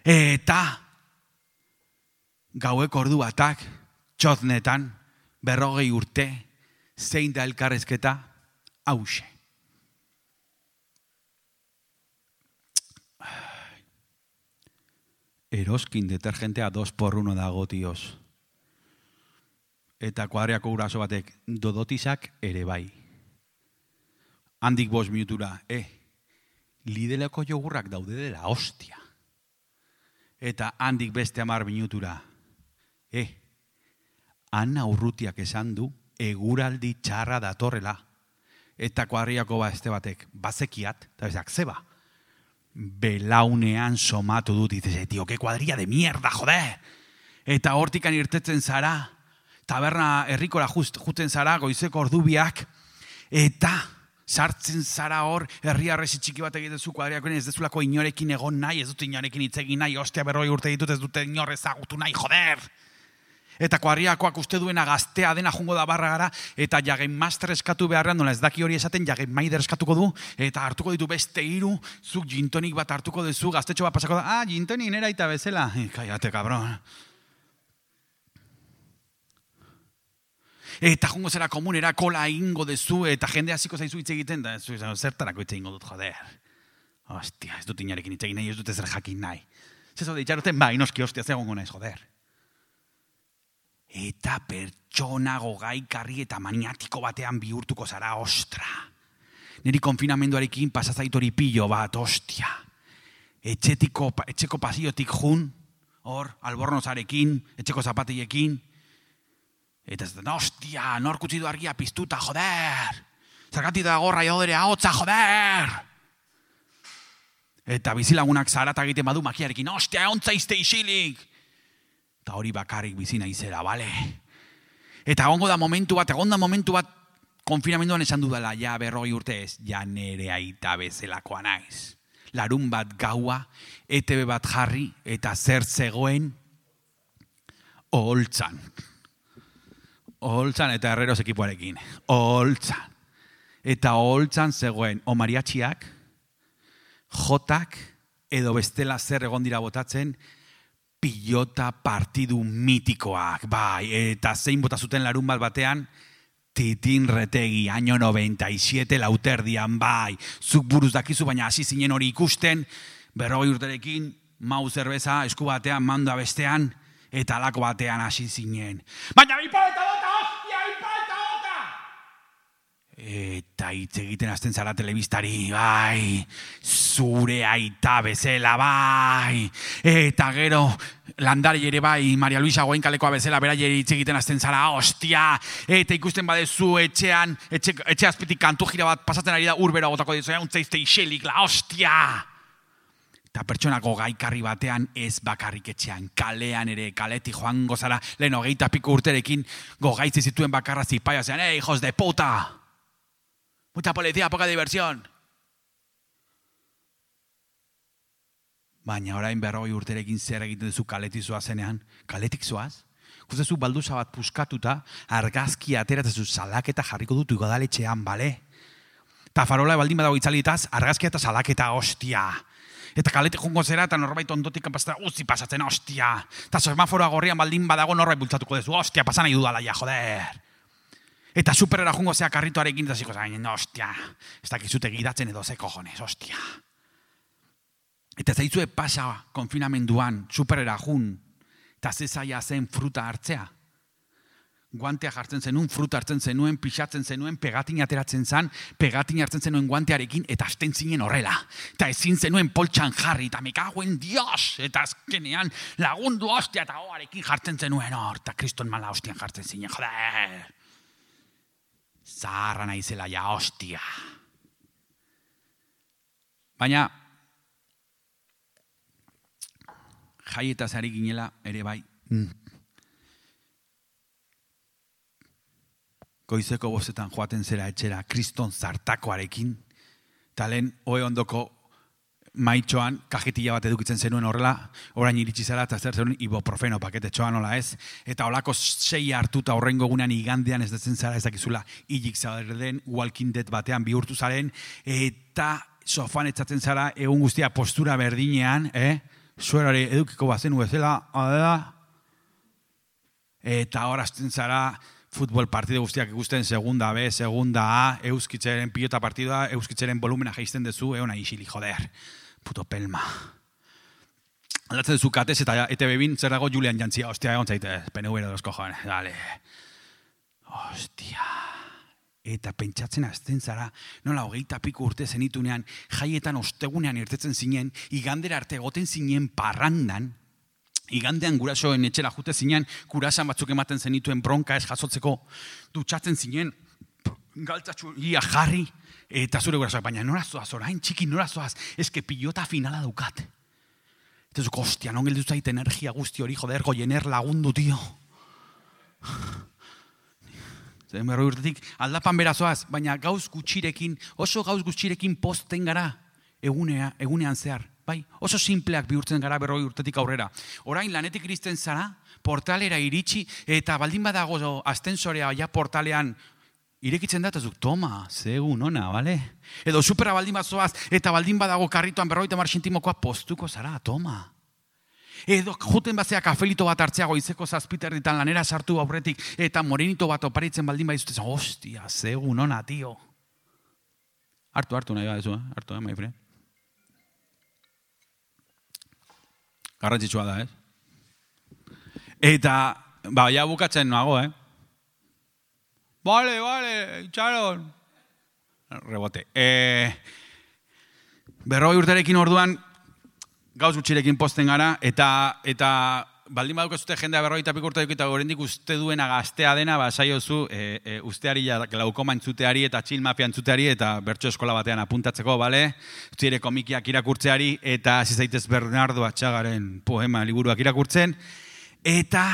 Eta gaueko ordu batak, txoznetan, berrogei urte, zein da elkarrezketa, hause. Eroskin detergentea dos por uno dago, tios. Eta kuadriako guraso batek dodotizak ere bai. Handik bost minutura, eh, Lideleko jogurrak daude dela, hostia. Eta handik beste hamar minutura, eh, Ana Urrutiak esan du, eguraldi txarra datorrela. Eta kuadriako ba este batek, bazekiat, eta bezak, zeba, belaunean somatu dut, dices, tío, que cuadrilla de mierda, joder! Eta hortikan irtetzen zara, taberna herrikora just, juten zara, goizeko ordubiak, eta sartzen zara hor, herriarresi txiki bat egiten zu kuadriakoen, ez dezulako inorekin egon nahi, ez dut inorekin itzegin nahi, ostia berroi urte ditut, ez dute inor ezagutu nahi, joder! Eta kuadriakoak uste duena gaztea dena jungo da barra gara, eta jagen master eskatu beharrean, nola ez daki hori esaten, jagen maider eskatuko du, eta hartuko ditu beste hiru, zuk gintonik bat hartuko duzu, gaztetxo bat pasako da, ah, gintonik nera eta bezala. Kaiate, kabron. Eta jungo zera komunera kola ingo dezu, eta jende hasiko zaizu hitz egiten, da zertarako hitz egingo dut, joder. Ostia, ez dut inarekin hitz egin nahi, ez dut ezer jakin nahi. Zezo de itxaruten, bai, noski, ostia, zegongo naiz, joder. Eta pertsona gogaikarri eta maniatiko batean bihurtuko zara, ostra. Neri konfinamenduarekin pasazaitori pillo bat, ostia. Etxetiko, etxeko pasiotik jun, hor, albornozarekin, etxeko zapatillekin. Eta ez da, ostia, norkutzi du argia piztuta, joder. Zergatik da gorra jodere ahotza, joder. Eta bizilagunak zarata egiten badu makiarekin, ostia, ontza izte isilik. Eta hori bakarrik bizi naizera, bale? Eta egongo da momentu bat, egon da momentu bat, konfinamenduan esan dudala, ja berrogei urte ez, ja nere aita bezelakoa naiz. Larun bat gaua, E T B bat jarri, eta zer zegoen, oholtzan. Oholtzan eta Herreros ekipoarekin. Oholtzan. Eta oholtzan zegoen, o mariatxiak, jotak, edo bestela zer egon dira botatzen, pilota partidu mitikoak, bai, eta zein bota zuten larun bat batean, Titin Retegi, año noventa y siete lauterdian, bai, zuk buruz dakizu, baina hasi zinen hori ikusten, berrogei urterekin, mau zerbeza, esku batean, manda bestean, eta alako batean hasi zinen. Baina bipoleta bota, hostia, bipoleta bota! Eta hitz egiten hasten zara telebistari, bai, zure aita bezala, bai, eta gero landari ere bai, Maria Luisa Goenkalekoa bezala, beraieri hitz egiten hasten zara, ostia, eta ikusten badezu etxean, etxe, etxe azpitik kantu jira bat pasatzen ari da urbera botako dizu, untzaizte iselik, la ostia! Eta pertsonako gaikarri batean ez bakarrik etxean, kalean ere, kaletik joango zara, lehen hogeita piko urterekin gogaitzi zituen bakarra zipaia zean, eh, hijos de puta! Mucha policía, poca diversión. Baina orain berrogei urterekin zer egiten duzu kaletik zoazenean, kaletik zoaz? Kustezu balduza bat puskatuta, argazki ateratzezu salaketa jarriko dutu igodaletxean, bale? Eta farola baldin badago itzalitaz, argazki eta salaketa, ostia. Eta kaletik jungo zera, eta norbait ondotik kanpaztera, uzi pasatzen, ostia. Eta semaforoa gorrian baldin badago norbait bultzatuko dezu, ostia, pasan nahi dudala ja, joder. Eta superera jungo zea karritoarekin, eta ziko zain, ostia, ez dakizute gidatzen edo ze cojones, ostia. Eta zaizue pasa konfinamenduan, superera jun, eta zezaia zen fruta hartzea. Guantea jartzen zenuen, fruta hartzen zenuen, pixatzen zenuen, pegatin ateratzen zen, pegatin hartzen zenuen guantearekin, eta hasten zinen horrela. Eta ezin zenuen poltsan jarri, eta me caguen Dios, eta azkenean lagundu ostia, eta hoarekin jartzen zenuen hor, eta kriston mala hostian jartzen zinen, joder. Zaharra naizela ja, ostia. Baina, jaietaz ari ginela ere bai. Goizeko bostetan joaten zera etxera kriston zartakoarekin, eta lehen hoe ondoko maitxoan kajetilla bat edukitzen zenuen horrela, orain iritsi zara eta zer zenuen ibuprofeno paketetxoan nola ez, eta holako sei hartuta horrengo egunean igandean ez dezen zara ez dakizula hilik zauden Walking Dead batean bihurtu zaren, eta sofan etzatzen zara egun guztia postura berdinean, eh? Zuerari edukiko bazenu bezala, adela, eta hor hasten zara futbol partide guztiak ikusten segunda B, segunda A, euskitzeren pilota partidua, euskitzeren volumena jaisten dezu, eona isili, joder, puto pelma. Aldatzen duzu katez eta E T B bin zer dago Julian Jantzia, ostia, egon zaite, P N V de los cojones, dale. Ostia. Eta pentsatzen azten zara, nola hogeita piko urte zenitunean, jaietan ostegunean irtetzen zinen, igandera arte egoten zinen parrandan, igandean gurasoen etxera jute zinen, kurasan batzuk ematen zenituen bronka ez jasotzeko, dutxatzen zinen, galtzatxu ia jarri, eta zure gurasoak, baina nora zoaz, orain txiki nora zoaz, eske pilota finala daukat. Eta zuko, ostia, non geldu zait energia guzti hori, joder, goiener lagundu, tio. Zer berroi urtetik aldapan berazoaz, baina gauz gutxirekin, oso gauz gutxirekin posten gara egunea, egunean zehar. Bai, oso simpleak bihurtzen gara berroi urtetik aurrera. Orain lanetik iristen zara, portalera iritsi, eta baldin badago astensorea ja portalean irekitzen da, eta zuk, toma, zegu nona, bale? Edo supera baldin bat zoaz, eta baldin badago karritoan berroita mar sentimokoa postuko zara, toma. Edo juten bazea kafelito bat hartzea goizeko zazpiter ditan lanera sartu aurretik, eta morenito bat oparitzen baldin badizute, hostia, zegu nona, tio. Hartu, hartu nahi badezu, eh? Hartu, eh, my friend. Garrantzitsua da, ez? Eta, ba, ja bukatzen nago, eh? Vale, vale, itxaron. Rebote. Eh, berroi urterekin orduan, gauz gutxirekin posten gara, eta, eta baldin badukazute jendea berrogeita piko urterekin eta oraindik uste duena gaztea dena, ba, saiozu, e, e, usteari, glaukoma entzuteari eta chill mafia entzuteari eta bertso eskola batean apuntatzeko, bale? Zire komikiak irakurtzeari eta hasi zaitez Bernardo Atxagaren poema liburuak irakurtzen, eta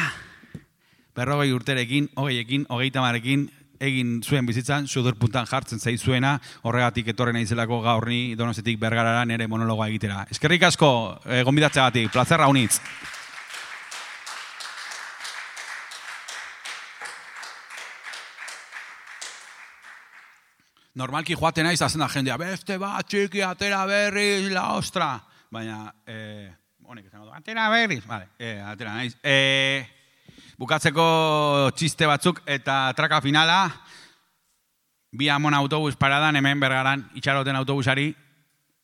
berrogei urterekin, hogeiekin, hogeita marekin, egin zuen bizitzan, sudurpuntan jartzen zaizuena, horregatik etorren naizelako gaur ni Donostiatik Bergarara nere monologoa egitera. Eskerrik asko, eh, gonbidatzeagatik, plazerra unitz. Normalki joaten naiz hazen da jendea, beste bat txiki atera berriz, la ostra. Baina, eh, honek izango du, atera berriz, vale, eh, atera naiz. Eh, Bukatzeko txiste batzuk eta traka finala, bi amon autobus paradan hemen Bergaran itxaroten autobusari,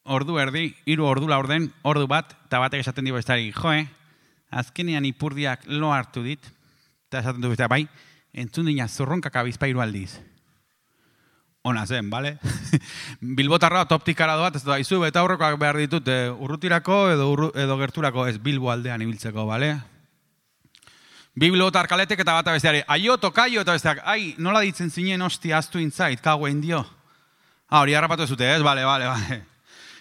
ordu erdi, hiru ordu laurden, ordu bat, eta batek esaten dio bestari, joe, azkenean ipurdiak lo hartu dit, eta esaten du bestari, bai, entzun dina zurronkak abizpairu aldiz. Ona zen, bale? Bilbotarra toptikara doat, ez da, izu, eta aurrekoak behar ditut, eh, urrutirako edo, urru, edo gerturako ez Bilbo aldean ibiltzeko, bale? Bi bilbotar kaletek eta bata besteari, aio, tokaio eta besteak, ai, nola ditzen zinen hostia aztu intzait, kaguen dio. Ah, hori harrapatu ez dute, ez? Bale, bale, bale.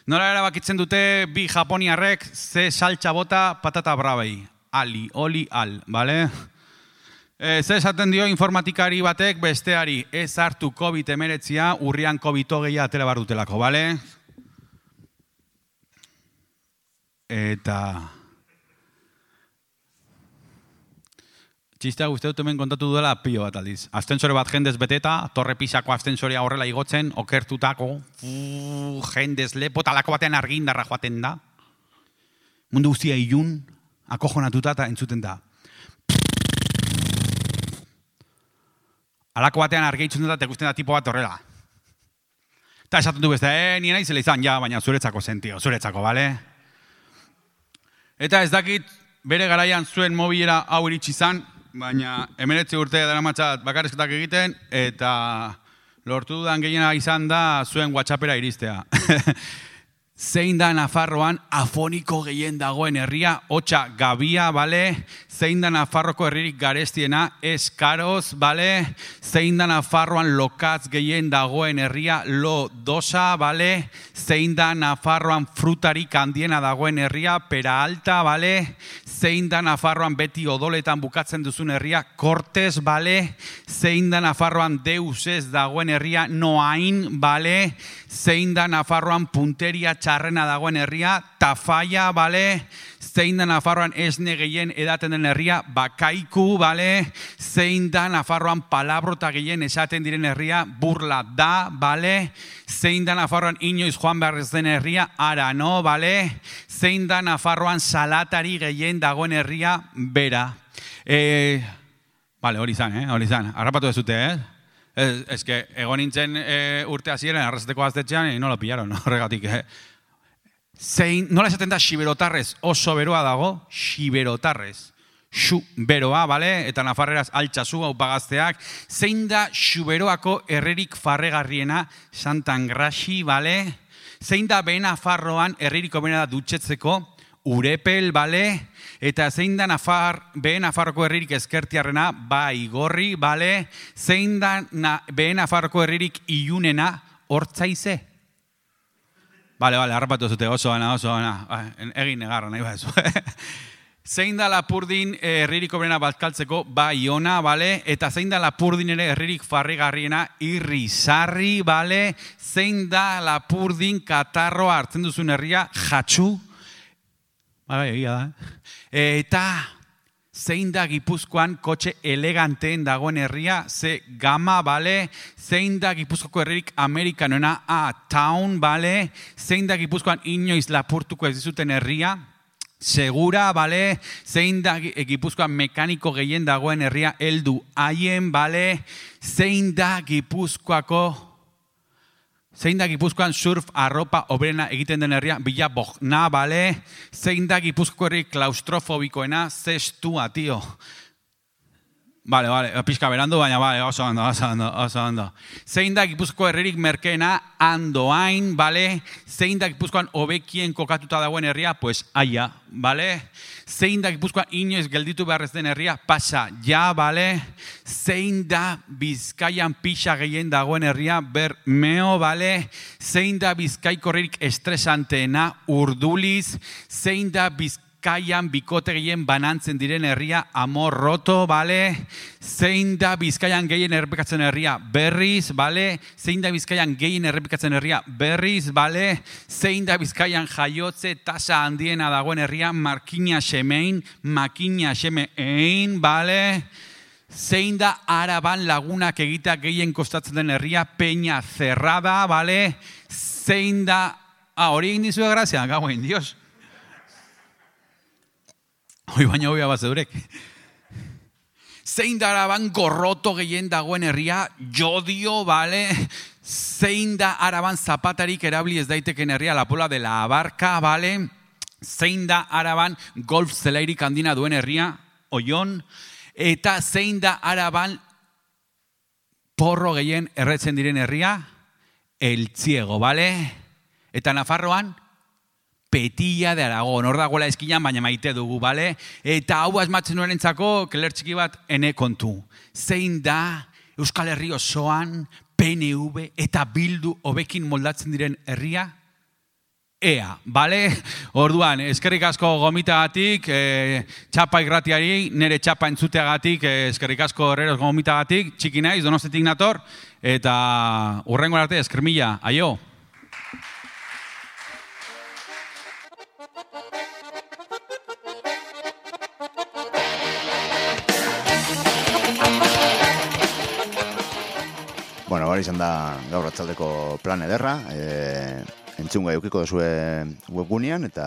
Nola erabakitzen dute bi japoniarrek ze saltxa bota patata brabei. Ali, oli, al, bale? E, ze esaten dio informatikari batek besteari, ez hartu COVID emeretzia, urrian COVID hogeia atera bar dutelako, bale? Eta... Txistea guzti dut hemen kontatu duela pilo bat aldiz. Astensore bat jendez beteta, torre pisako astensorea horrela igotzen, okertutako, uu, jendez lepo, talako batean argindarra joaten da. Mundu guztia ilun, akojonatuta eta entzuten da. Alako batean argeitzen da, eta ikusten da tipo bat horrela. Eta esaten du beste, eh, nien aizela izan, ja, baina zuretzako zen, tio, zuretzako, bale? Eta ez dakit, bere garaian zuen mobilera hau iritsi izan, baina hemeretzi urte dara matxat bakarrizketak egiten, eta lortu dudan gehiena izan da zuen WhatsAppera iristea. Zein da Nafarroan afoniko gehien dagoen herria, hotxa Gabia, bale? Zein da Nafarroko herririk garestiena, Eskaroz, bale? Zein da Nafarroan lokatz gehien dagoen herria, Lo Dosa, bale? Zein da Nafarroan frutarik handiena dagoen herria, Pera Alta, bale? Zein da Nafarroan beti odoletan bukatzen duzun herria, Kortes, bale? Zein da Nafarroan deus ez dagoen herria, Noain, bale? Zein da Nafarroan punteria txarrena dagoen herria, Tafaia, bale? Zein da Nafarroan esne gehien edaten den herria, Bakaiku, bale? Zein da Nafarroan palabrota gehien esaten diren herria, Burla da, bale? Zein da Nafarroan inoiz joan behar ez den herria, Arano, bale? Zein da Nafarroan salatari gehien dagoen herria, Bera? Eh, Bale, hori izan, eh? Hori izan. Arrapatu dezute, eh? Ez, ez que, egon nintzen e, urte hasieran arrazeteko gaztetxean, e, nola pillaron, horregatik, eh? Zein, nola esaten da, xiberotarrez oso beroa dago, xiberotarrez. Xu beroa, bale? Eta nafarreraz altxazu, hau pagazteak. Zein da xuberoako herririk farregarriena, Santangraxi, bale? Zein da behe Nafarroan herriko bena da dutxetzeko, Urepel, bale? Eta zein da Nafar, behe Nafarroko herririk ezkertiarrena, Baigorri, bale? Zein da na, behe Nafarroko herririk ilunena, Hortzaize? Bale, bale, harrapatu zute, oso gana, oso gana. Egin negarra, nahi bat Zein da Lapurdin herririko berena bazkaltzeko, Baiona, bale? Eta zein da Lapurdin ere herririk farrigarriena, Irrizarri, bale? Zein da Lapurdin katarroa hartzen duzun herria, Jatxu? Bale, egia da. Eta zein da Gipuzkoan kotxe eleganteen dagoen herria, ze Gama, bale? Zein da Gipuzkoako herririk amerikanoena, A, Town, bale? Zein da Gipuzkoan inoiz lapurtuko ez dizuten herria, Segura, bale? Zein da Gipuzkoan mekaniko gehien dagoen herria, heldu haien, bale? Zein da Gipuzkoako Zein da Gipuzkoan surf arropa obrena egiten den herria, Bilabogna, bale? Zein da Gipuzkoako herri klaustrofobikoena, Zestua, tio. Bale, bale, pixka berandu, baina bale, oso ondo, oso ondo, oso ondo. Zein da Gipuzkoako herririk merkeena, Andoain, bale? Zein da Gipuzkoan hobekien kokatuta dagoen herria, pues Aia, bale? Zein da Gipuzkoan inoiz gelditu beharrez den herria, Pasa, ja, bale? Zein da Bizkaian pixa gehien dagoen herria, Bermeo, bale? Zein da Bizkaiko herririk estresanteena, Urduliz? Zein da Bizkaian Bizkaian bikote gehien banantzen diren herria, Amorroto, bale? Zein da Bizkaian gehien errepikatzen herria, Berriz, bale? Zein da Bizkaian gehien errepikatzen herria, Berriz, bale? Zein da Bizkaian jaiotze tasa handiena dagoen herria, Markina Xemein, Makina Xemein, bale? Zein da Araban lagunak egitea gehien kostatzen den herria, Peña Cerrada, bale? Zein da... Ah, hori egin dizue grazia, gauen, dios. Hoi baina hoi abazedurek. Zein da Araban gorroto gehien dagoen herria, Jodio, bale? Zein da Araban zapatarik erabili ez daiteken herria, La Pola de la Abarca, bale? Zein da Araban golf zelairik handina duen herria, Oion? Eta zein da Araban porro gehien erretzen diren herria, Eltziego, bale? Eta Nafarroan, Petilla de Aragón, hor dagoela eskinan, baina maite dugu, bale? Eta hau asmatzen nuerentzako, keler txiki bat, ene kontu. Zein da Euskal Herri osoan, P N V eta Bildu hobekin moldatzen diren herria? Ea, bale? Orduan, eskerrik asko gomitagatik, e, txapa irratiari, nire txapa entzuteagatik, e, eskerrik asko herreros gomitagatik, txiki naiz, Donostiatik nator, eta hurrengo arte, esker mila, aio! Bueno, hori izan da gaur atzaldeko plan ederra, e, entzun gai eukiko duzue webgunean, eta,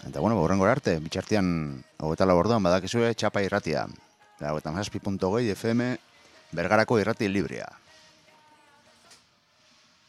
eta bueno, horrengora arte, bitxartian, hogeita lau orduan badakizue txapa irratia, eta hogeita zazpi puntu hogei F M Bergarako irrati librea.